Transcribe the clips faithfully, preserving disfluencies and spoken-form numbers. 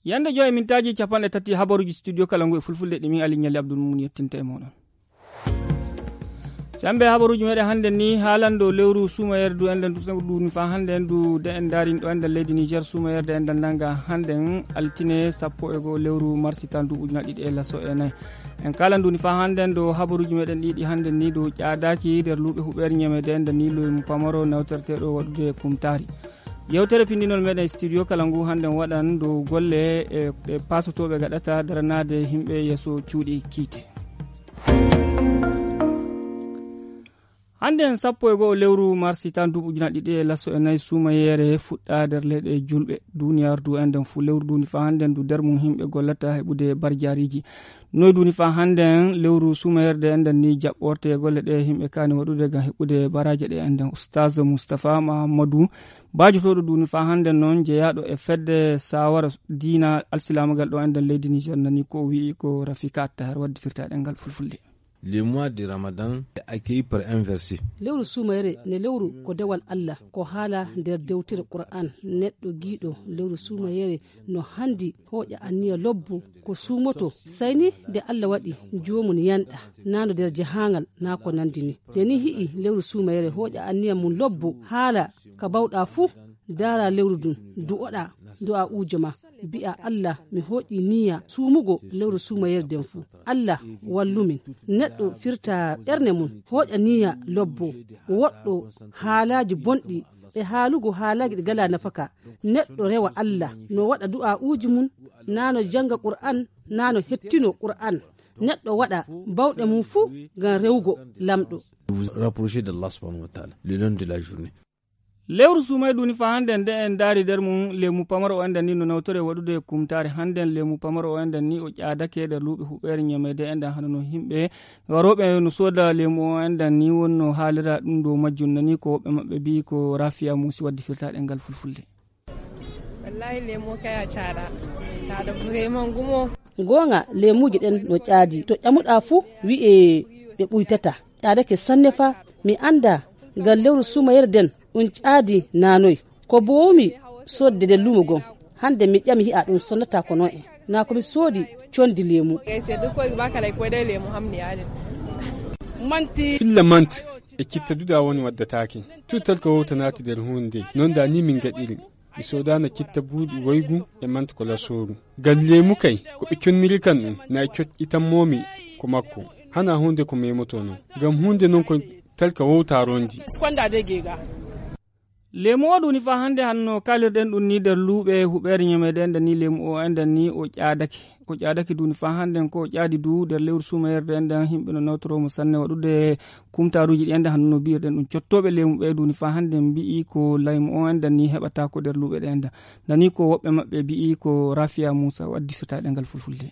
Yande joy mintaaji capanɗe tati habaruuji studio kala ngu e fulfulde ɗi min Ali Ñalli Abdul Mumin yettinta e mooɗon. Sembe habaruuji meɗen hannden ni haalando lewru suumayere du enɗen du sewru du ni fa hannden du de en daarin ɗo enɗen leydi Niger suumayerde enɗen nanga hannden altine sappo e goo lewru marsi tan du ujuna ɗiɗi e laso e nayi. En kaalan du ni fa hannden do habaruuji meɗen ɗiɗi hannden ni do ƴaadaaki nder luuɓe huɓeere ñamede enɗen ni lewru pamaro nawterteeɗo waɗude kumtaari. Yewtere pindinol meɗen studio kala ngu hannden waɗan do golle e e paasotooɓe gaɗata daranaade himɓe yeeso cuuɗi kiite. Hannden sappo e goo lewru marsi tan duuɓi ujuna ɗiɗi e laso e nayi suumayeere fuɗɗa nder leyɗe julɓe. Duniyaaru du enɗen fu lewru du ni fa hannden du nder mum himɓe gollata heɓude barjaariiji. Noy du ni fa hannden lewru suumayerde enɗen ni jaɓɓorte golle ɗe himɓe kaani waɗude ngam heɓude baraaje ɗe enɗen. Ustaz Mustapha Mahammadu, baajotooɗo du ni fa hannden noon jeyaaɗo e fedde saawara diina alsilaamagal ɗo enɗen leydi Niger nani ko o wi'i ko Rafika Attahar waddi firtaaɗe ngal fulfulde. Le mois de Ramadan est accueilli par un verset. Lewru suumayere ne lewru ko dewal Allah, ko haala nder dewtere Qur'an. Neɗɗo giiɗo lewru suumayere no handi hooƴa anniya lobbo ko suumoto, sayni nde Allah waɗi joomum yanɗa, naa no nder jahaangal, naa ko nandi ni. Nde ni hi'i lewru suumayere hooƴa anniya mum lobbo, haala ka bawɗa fuu, daara lewru ndun, du'oɗa du'a uujo ma, bi'a Allah mi hooƴi niya suumugo lewru suumayere nden fuu. Allah wallumin. Neɗɗo firta ɓernde mum, hooƴa niya lobbo, woɗɗo haalaaji bonɗi e haalugo haalaaji ɗi ngalaa nafaka. Neɗɗo rewa Allah, no waɗa du'a uuji mum, naa no jannga Qur'an, naa no hettino Qur'an. Neɗɗo waɗa bawɗe mum fuu ngam rewugo Lamɗo. Vous rapprochez d'Allah subhanahu wa ta'ala le long de la journée. Lewru suumay du ni fa hannden nde en ndaari nder mum lemu pamaro o enɗen ni no nawtore waɗude kumtaare hannden lemu pamaro o enɗen ni o ƴaadake nder luuɓe huɓeere ñameede enɗen hano no himɓe warooɓe no sooda lemu o enɗen ni wonno haalira ɗum dow majjum nani ko woɓɓe maɓɓe mbi'i ko Rafiya Muusi waddi firtaaɗe ngal fulfulde. Wallahi lemo kaya caɗa caɗa vraiment gumo. Goonga lemuuji ɗen no ƴaadi to ƴamuɗaa fuu wi'e ɓe ɓuytata. Ƴaadake sanne fa mi annda ngal lewru suumayere nden ɗum ƴaadi naanoy. Ko boowumi soodde nder luumo gon hannde mi ƴami hi'a ɗum sonnata ko non en naa ko mi soodi condi leemu. Filla manti e citta duda woni waddataake. Tuttal ko wowta naati nder huunde non da ni min gaɗiri. Mi soodano citta buuɗi woygu e manta ko lasooru. Ngam leemu kay ko ɓe conniri kan ɗum na e coƴƴitammoomi ko makko. Hana huunde ko memotono ngam huunde non ko talka wowta rondi. Leemu o ɗum ni fa hannde hanno kaalirɗen ɗum ni nder luuɓe huɓeere ñameede enɗen ni leemu o enɗen ni o ƴaadake. O ƴaadake duuni faa hannden ko o ƴaadi du nder lewru suumayerde enɗen himɓe no nawtoroo mo sanne waɗude kumtaaruuji ɗi enɗen hanno no mbiyirɗen ɗum cottooɓe leemu ɓee duuni faa hannden mbi'i ko laymu o enɗen ni heɓataa ko nder luuɓe ɗe enɗen. Nani ko woɓɓe maɓɓe mbi'i ko Rafiya Muusa waddi fetaaɗe ngal fulfulde.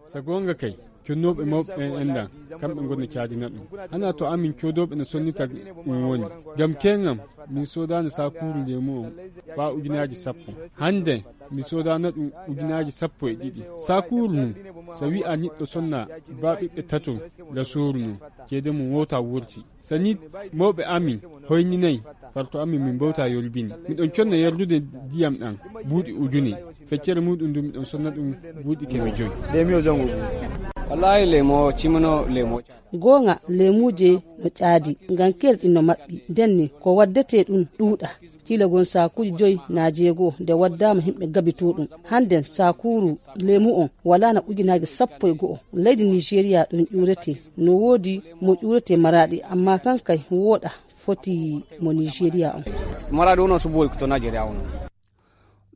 So goonga kay connooɓe mawɓe ɓen enɗan kamɓe ngoni caadina ɗum. Hanaa to amin coodooɓe no sonnita ɗum woni. Ngam keeŋam min soodaano saakuuru leemu on faa ujunaaji sappo. Hannden mi soodaano ɗum ujunaaji sappo e ɗiɗi. Saakuuru nun so wi'aa niɗɗo sonna baa ɓiɓɓe tato lasooru nun ceede mum wowta wurti. So ni mawɓe amin hoyninay farto amin min mbowta yolbini. Miɗon conna yardude ndiyam ɗam buuɗi ujune. Feccere muɗum ndun miɗon sonna ɗum buuɗi keme joy. Wallahi lemo cimino lemo. Goonga leemuuje no ƴaadi ngam keerɗi no maɓɓi. Nden ni ko waddetee ɗum ɗuuɗa. Kiila gon saakuuji joy naa jeego nde waddaama himɓe gabitoo ɗum. Hannden saakuuru leemu on walaana ujunaaji sappo e go'o. Leydi Nigeria ɗum ƴuuretee. No woodi mo ƴuuretee maraaɗi ammaa kan kay wooɗa foti mo Nigeria on. Maraaɗi on o subo to Nigeria on.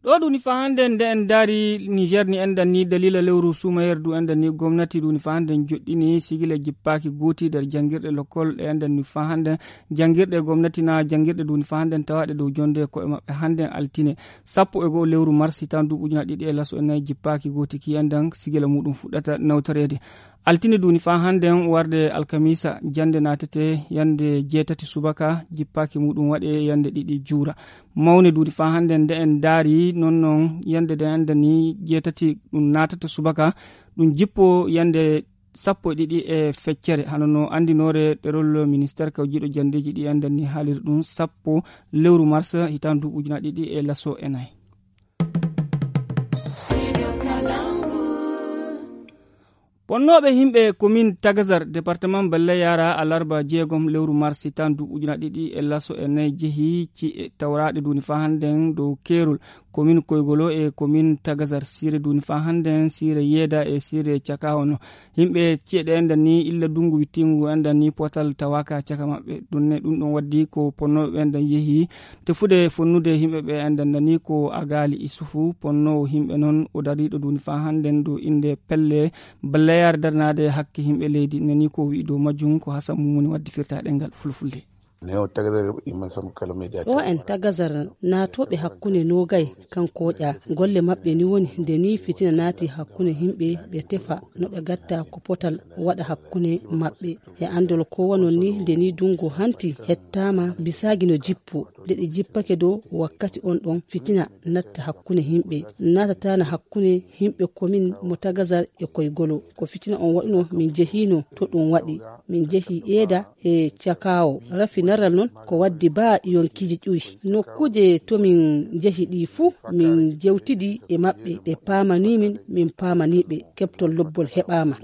Ɗo ɗum ni faa hannden nde en ndaari Niger ni enɗan ni daliila lewru suumayere du enɗan ni gomnati du ni faa hannden joɗɗini sigila jippaaki gooti nder janngirɗe lokkol ɗe enɗan ni faa hannden janngirɗe gomnati na janngirɗe du ni faa hannden tawaaɗe dow jonde ko'e maɓɓe hannden altine sappo e go'o lewru mars hitaan du ujuna ɗiɗi e laso e nayi jippaaki gooti ki enɗan sigila muɗum fuɗɗata nawtoreede. Altine du ni faa hannden warde alkamiisa jannde naatete yannde jeetati subaka jippaaki muɗum waɗe yannde ɗiɗi juura. Mawne du ni faa hannden nde en ndaari non non yannde nde enɗan ni jeetati ɗum naatata subaka ɗum jippo yannde sappo e ɗiɗi e feccere hano no anndinoore ɗerol ministeer kawjiiɗo janndeeji ɗi enɗan ni haaliri ɗum sappo lewru mars hitaan du ujuna ɗiɗi e laso e nayi. Ponnooɓe yimɓe komin Tagazar, departement Belle Yara, alarba jeegom lewru marsi tan du ujuna ɗiɗi e laso e nayi jehi ci'e tawraaɗe duuni faa hannden dow keerol komin Koygolo e komin Tagazar, siire duuni faa hannden, siire Yeeda e siire Cakaawo no. Yimɓe ci'e ɗe enden ni illa dunngu wittiingu enden ni potal tawaaka caka maɓɓe. Ɗum ne ɗum ɗon waddi ko ponnooɓe ɓen ɗon yehi tefude fonnude yimɓe ɓe enden nani ko Agaali Isufu, ponnoowo yimɓe non o dariiɗo duuni faa hannden dow innde pelle Balla Yaare daranaade hakke yimɓe leydi, nani ko wi'i dow majjum ko Hasan Mumuni waddi firtaaɗe ngal fulfulde. Ɗo en Tagazar naatooɓe hakkunde noogay kan kooƴa. Golle maɓɓe ni woni nde ni fitina naati hakkunde yimɓe ɓe tefa no ɓe gatta ko potal waɗa hakkunde maɓɓe. E anndol ko wanon ni nde ni dungu hanti hettaama bisaagi no jippo. Nde ɗi jippake dow wakkati on ɗon fitina natta hakkunde yimɓe. Naatataana hakkunde yimɓe komin mo Tagazar e Koygolo. Ko fitina on waɗuno min jehiino to ɗum waɗi. Min jehi Eeda e Cakaawo. Rafi naral non ko waddi baa yonkiiji ƴuwi. Nokkuuje to min jehi ɗi fuu min jewtidi e maɓɓe. Ɓe paamanii min, min paamanii ɓe. Keɓtol lobbol heɓaama.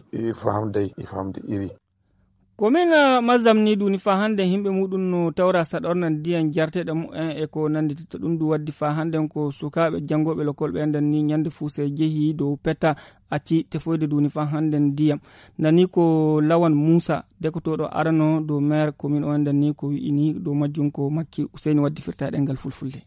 Ko min, eh, Mazam ni duuni faa hannde yimɓe muɗum no tawra saɗorna ndiyam jarteeɗe mumen e ko nannditi to ɗum du waddi faa hannden ko sukaaɓe janngooɓe lokol ɓe nden ni ñannde fuu sey jehi dow peta acci tefoyde duuni faa hannden ndiyam. Nani ko Lawan Muusa, dekotooɗo arano dow meer komin o nden ni ko wi'ini dow majjum ko Makki Useyni waddi firtaaɗe ngal fulfulde.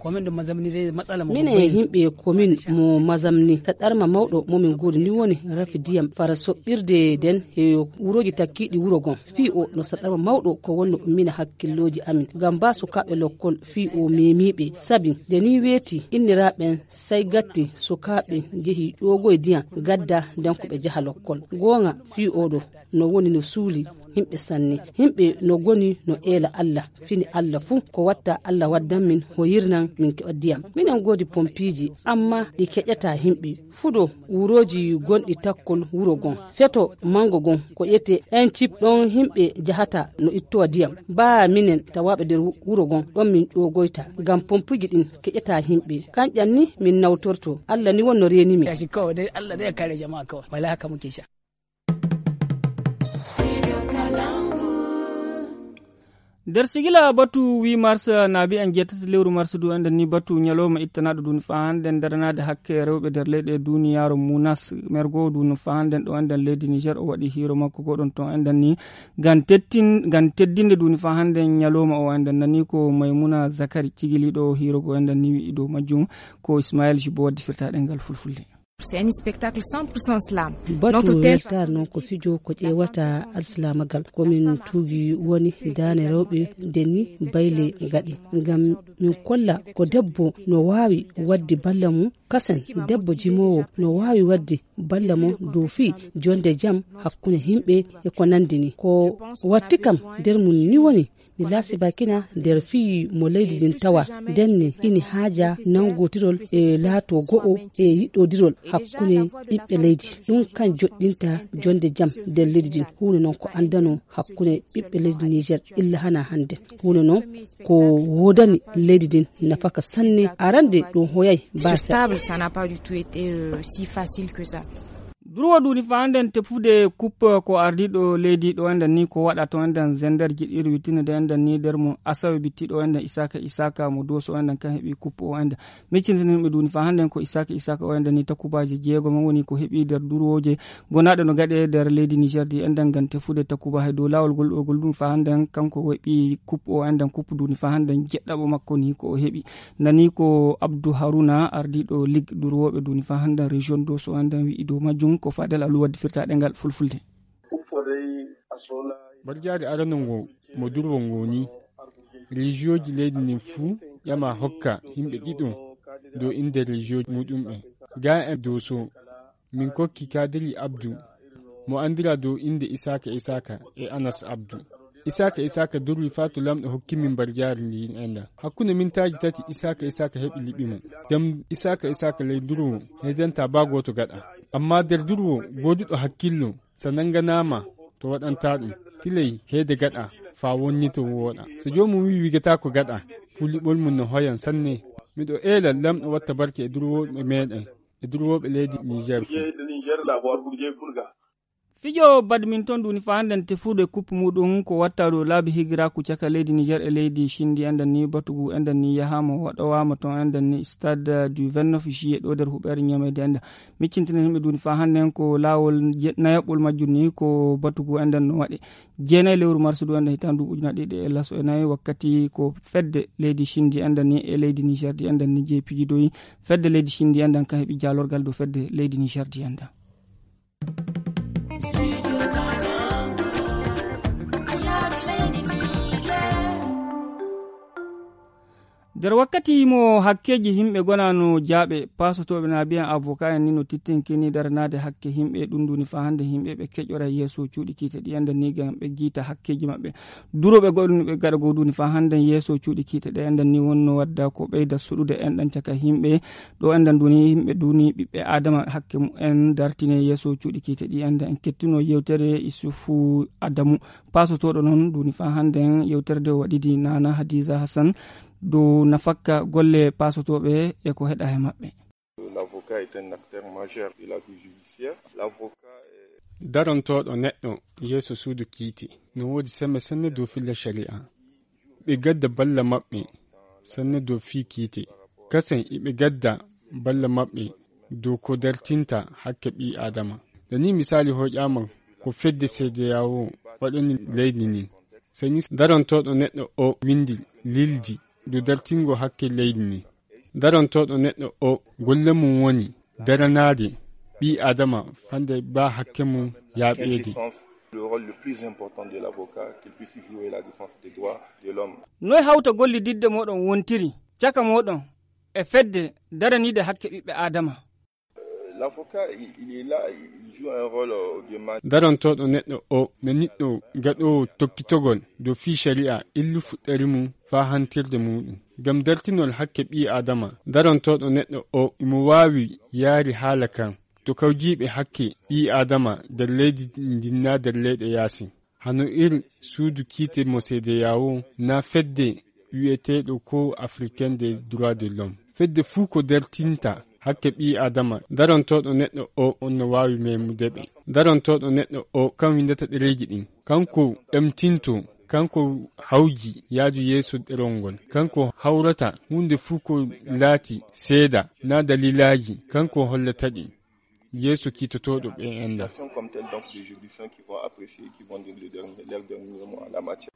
Minen e yimɓe komin mo Mazam ni, saɗɗarma mawɗo mo min ngoodi ni woni rafi ndiyam fara soɓɓirde nden e wurooji takkiiɗi wuro gon. Fii o no saɗɗarma mawɗo ko wonno ummina hakkillooji amin. Ngam baa sukaaɓe lokkol fii o meemiiɓe. Sabi nde ni weeti inniraaɓe ɓen say gatti sukaaɓe jehi ƴoogoy ndiyam gadda nden ko ɓe jaha lokkol. Goonga fii o ɗo no woni no suuli yimɓe sanne. Yimɓe no goni no eela Alla, fini Alla fuu ko watta Alla waddan min, hoyirnan min keɓa ndiyam. Minen ngoodi pompiiji, amma ɗi keƴataa yimɓe. Fuɗo wurooji gonɗi takkol wuro gon. Feto manngo gon ko ƴetee en cip ɗon yimɓe jahata no ittowa ndiyam. Baa minen tawaaɓe nder wu-, wuro gon ɗon min ƴoogoyta. Ngam pompiiji ɗin keƴataa yimɓe. Kanƴan ni min nawtorto. Alla ni wonno reeni min. Nder sigila batu huit mars, naabi en jeetati lewru mars du, enden ni batu ñalawma ittanaaɗo duuni faa hannden daranaade hakke rewɓe nder leyɗe duuniyaaru munas. Mergo duuni faa hannden ɗo enden leydi Niger o waɗi hiiro makko goɗon ton enden ni ngam tettin-, ngam teddinde duuni faa hannden ñalawma o enden nani ko Maymuna Zakari cigiliiɗo hiiro go enden ni wi'i dow majjum ko Ismaël Jibo waddi firtaaɗe ngal fulfulde. C'est un spectacle cent pour cent slam. Batu weltaare noon ko fijo ko ƴeewata alsilaamagal. Ko min tuugi woni daane rewɓe nde ni bayle ngaɗi. Ngam min kolla ko debbo no waawi waɗde balla mum, kasen debbo jimoowo no waawi waɗde balla mum dow fii jonde jam hakkunde yimɓe e ko nanndi ni. Ko watti kam nder mum ni woni mi laasi bakina nder fii mo leydi ndin tawa ndenne ini haaja nangotirol e laato go'o e yiɗodirol hakkunde ɓiɓɓe leydi. Ɗum kan joɗɗinta jonde jam nder leydi ndin. Huunde noon ko anndano hakkunde ɓiɓɓe leydi Niger illa hana hannde. Huunde noon ko woodani leydi ndin nafaka sanne. Arande ɗum hoyay. Sur baasa table, ça n'a pas du tout été, euh, si facile que ça. Durwo duuni faa nden tefude kuppe ko ardiiɗo leydi ɗo enden ni ko waɗa to enden zender jiɗɗiiɗo wittinede enden ni nder mum asawe bittiiɗo enden Isaaka Isaaka mo Dooso enden kan heɓi kuppe o enden. Miccintini yimɓe duuni faa hannden ko Isaaka Isaaka o enden ni takubaaji jeegom woni ko heɓi nder durwooje gonaaɗe no gaɗe nder leydi Niger di enden ngam tefude takuba hay dow laawol gol ɗo gol ɗum faa hannden kanko heɓi kuppe o enden kuppe duuni faa hannden jeɗɗaɓo makko ni ko o heɓi. Nani ko Abdu Haruna, ardiiɗo Ligue durwooɓe duuni faa hannden région Dooso hannden wi'i dow majjum ko Fadel Alu waddi firtaaɗe ngal fulfulde. Barjaari arano ngo mo durwo ngo ni, région ji leydi ndin fuu ƴama hokka yimɓe ɗiɗo dow innde région muɗumɓe. Ga en Dooso, min kokki Kadiri Abdu, mo anndira dow innde Isaaka Isaaka e Anas Abdu. Isaaka Isaaka durwi faa to Laamɗo hokki min mbarjaari ndi enda. Hakkunde mintaaji tati Isaaka Isaaka heɓi liɓi mum. Ngam Isaaka Isaaka ley durwo heedanta baa gooto gaɗa. Ammaa nder durwo gooduɗo hakkillo, so nannganaama to waɗanta ɗum, tilay heede gaɗa faa wonnito wooɗa. So joomum wi'i wigataako gaɗa, fuu liɓol mum no hoyan sanne. Miɗo eela Laamɗo watta barke e durwooɓe meeɗen. E durwooɓe leydi Niger fuu. Fijo badminton duni fa hannden tefrude kup muɗum ko watta dow laabi higiraaku caka leydi Niger e leydi Chine ndi enɗan ni batugu enɗan ni yahaama waɗowaama ton enɗan ni stade du vingt-neuf juillet ɗo nder huɓeere ñameede enɗan. Miccintinen yimɓe duni fa hannden ko laawol je-, nayaɓɓol majjum ni ko batugu enɗan no waɗe. Jeenayi lewru mars du enɗan hitaande ndu ujunaaji ɗiɗi e laso e nayi wakkati ko fedde leydi Chine ndi enɗan ni e leydi Niger ndi enɗan ni jeeyi pijidoyi. Fedde leydi Chine ndi enɗan kan heɓi jaalorgal dow fedde leydi Niger ndi enɗan. Nder wakkati mo hakkeeji yimɓe gonano jaaɓe, paasotooɓe na biyan avocat en ni no tittinkini daranaade hakke yimɓe, ɗum duni fa hannde yimɓe ɓe keƴora yeeso cuuɗi kiite ɗi enda ni ngam ɓe giita hakkeeji maɓɓe. Durooɓe goɗɗo ɓe gaɗa goo duni fa hannde yeeso cuuɗi kiite ɗe enda ni wonno wadda ko ɓeyda suɗude enɗan caka yimɓe. Ɗo enɗan duni yimɓe duni ɓiɓɓe Adama hakke mumen dartine yeeso cuuɗi kiite ɗi enda en kettuno yewtere Isufu Adamu. Paasotooɗo noon duni fa hannden yewtere nde o waɗidi Nana Hadiza Hassan dow nafakka golle paasotooɓe e ko heɗa he maɓɓe. L'avocat est un acteur majeur de la vie judiciaire. L'avocat est Darantooɗo neɗɗo yeeso suudu kiite no woodi sembe sanne dow filla shari'a. Ɓe gadda balla maɓɓe sanne dow fii kiite. Kasen iɓe gadda balla maɓɓe dow ko dartinta hakke ɓii Adama. Da ni misaali hoƴaama ko fedde seedeyawo waɗani leydi ndin. Sey ni darantooɗo neɗɗo o windi lildi dow dartingo hakke leydi ndin. Darantooɗo neɗɗo o golle mum woni daranaade ɓii Adama fande ba hakke mum yaaɓeede. Le rôle le plus important de l'avocat, qu'il puisse jouer la défense des droits de l'homme. Noy hawta gollididde moɗon wontiri caka moɗon e fedde daraniide hakke ɓiɓɓe Adama? L'avocat, il, il est là, il joue un rôle, euh, de man- Darantooɗo neɗɗo o no niɗɗo gaɗoowo toppitogol dow fii shari'a illu fuɗɗari mum faa hantirde muɗum. Ngam dartinol hakke ɓii Adama, darantooɗo neɗɗo o imo waawi yaari haala kan to kawjiiɓe hakke ɓii Adama nder leydi ndin naa nder leyɗe yaasin. Hano ir suudu kiite mo seedeyawo naa fedde wi'eteeɗo ko Africain des droits de l'homme. Fedde fuu ko dartinta hakke ɓii Adama, darantooɗo neɗɗo o on no waawi meemude ɓe. Darantooɗo neɗɗo o kan windata ɗereeji ɗin. Kanko ɗemtinto, kanko hawji yaadu yeeso ɗerol ngol. Kanko hawrata huunde fuu ko laati seeda naa dalilaaji, kanko hollata ɗi yeeso kiitotooɗo ɓe enda. Comme tel, donc, des juridictions qui vont apprécier, qui vont dire le dernier, leur dernier mot en la matière.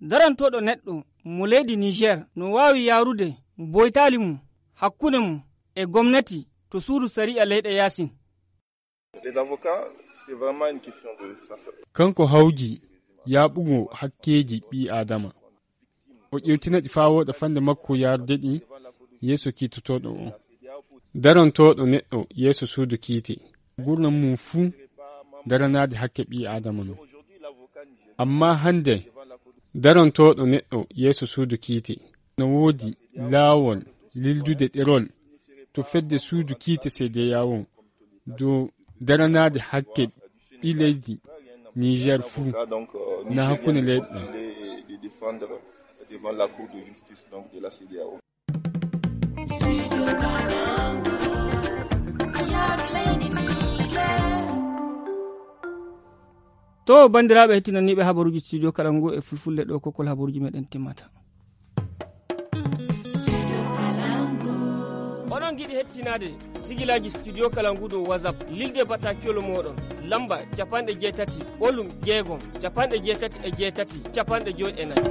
Darantooɗo neɗɗo mo leydi Niger no waawi yaarude boytaali mum hakkunde mum e gomnati to suudu sariya leyɗe yaasin. Les avocats, c'est vraiment une question de sens. Kanko hawji yaaɓugo hakkeeji ɓii Adama. O ƴewtina ɗi faa wooɗa fande makko yaarude ɗi yeeso kiitotooɗo o. Darantooɗo neɗɗo yeeso suudu kiite. Gurnam mum fuu daranaade hakke ɓii Adama non. Ammaa hannde darantooɗo neɗɗo yeeso suudu kiite no woodi laawol lildude ɗerol to fedde suudu kiite seedeyawo dow daranaade hakke ɓii leydi Niger fuu na hakkunde leyɗe ɗen. De défendre devant la Cour de justice, donc, de la CEDEAO. To banndiraaɓe hettinaniiɓe habaruuji studio kala ngu e fulfulde ɗo kokkol habaruuji meɗen timmata. Onon ngiɗi hettinaade sigilaaji studio kala ngu dow WhatsApp, lilde battakiyol mooɗon lamba capanɗe jeetati ɓolum jeegom capanɗe jeetati e jeetati capanɗe joy e nayi.